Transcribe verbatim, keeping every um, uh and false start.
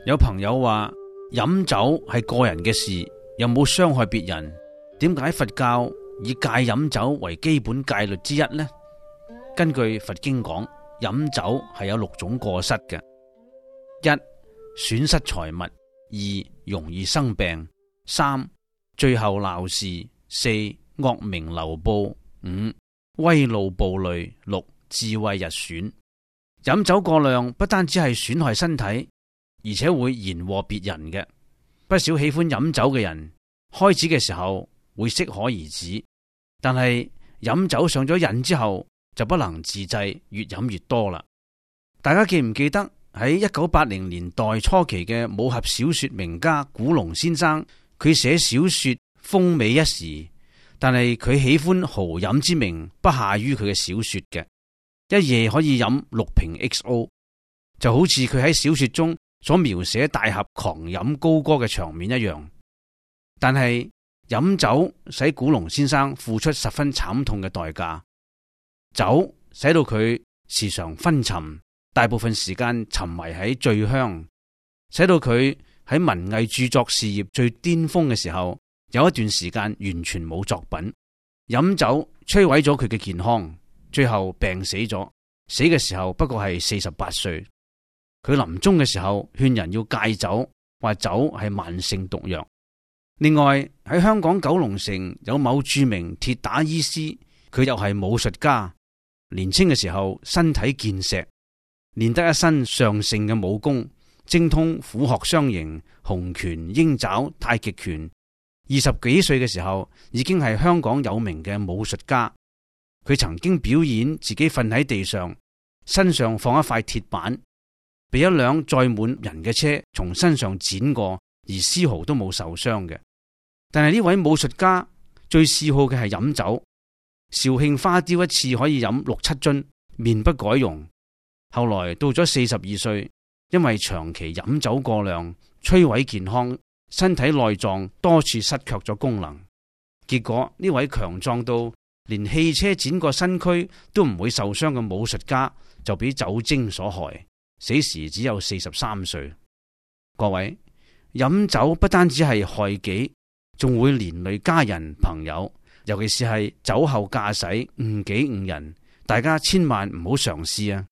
有朋友話飲酒係個人嘅事，又冇傷害別人，點解佛教以戒飲酒為基本戒律之一呢？根據佛經講，飲酒係有六種過失嘅：一、損失財物；二、容易生病；三、最後鬧事；四、惡名流布；五、威怒暴戾；六、智慧日損。飲酒過量不單止係損害身體，而且會延禍別人嘅。不少喜歡飲酒嘅人，開始嘅時候會適可而止，但係飲酒上咗癮之後就不能自制，越飲越多啦。大家記唔記得喺一九八零年代初期嘅武俠小說名家古龍先生，佢寫小說風靡一時，但係佢喜歡豪飲之名不下於佢嘅小說嘅，一夜可以飲六瓶 X O， 就好似佢喺小說中所描寫大俠狂飲高歌嘅場面一樣。但係飲酒使古龍先生付出十分慘痛嘅代價，酒使到佢時常昏沉，大部分時間沉迷喺醉鄉，使到佢喺文藝著作事業最巔峰嘅時候，有一段時間完全冇作品。飲酒摧毀咗佢嘅健康，最後病死咗，死嘅時候不過係四十八歲。佢臨終嘅時候勸人要戒酒，話酒係慢性毒藥。另外喺香港九龍城有某著名鐵打醫師，佢又係武術家，年輕嘅時候身體健碩，練得一身上乘嘅武功，精通虎鶴雙形、洪拳、鷹爪、太極拳。二十幾歲嘅時候已經係香港有名嘅武術家。佢曾經表演自己瞓喺地上，身上放一塊鐵板，被一輛載滿人嘅車從身上剪過，而絲毫都冇受傷嘅。但係呢位武術家最嗜好嘅係飲酒，肇慶花雕一次可以飲六七樽，面不改容。後來到咗四十二歲，因為長期飲酒過量，摧毀健康，身體內臟多處失卻咗功能。結果呢位強壯到連汽車剪過身軀都唔會受傷嘅武術家，就俾酒精所害，死時只有四十三歲。各位，飲酒不單止係害己，仲會連累家人朋友，尤其是係酒後駕駛誤己誤人，大家千萬唔好嘗試啊！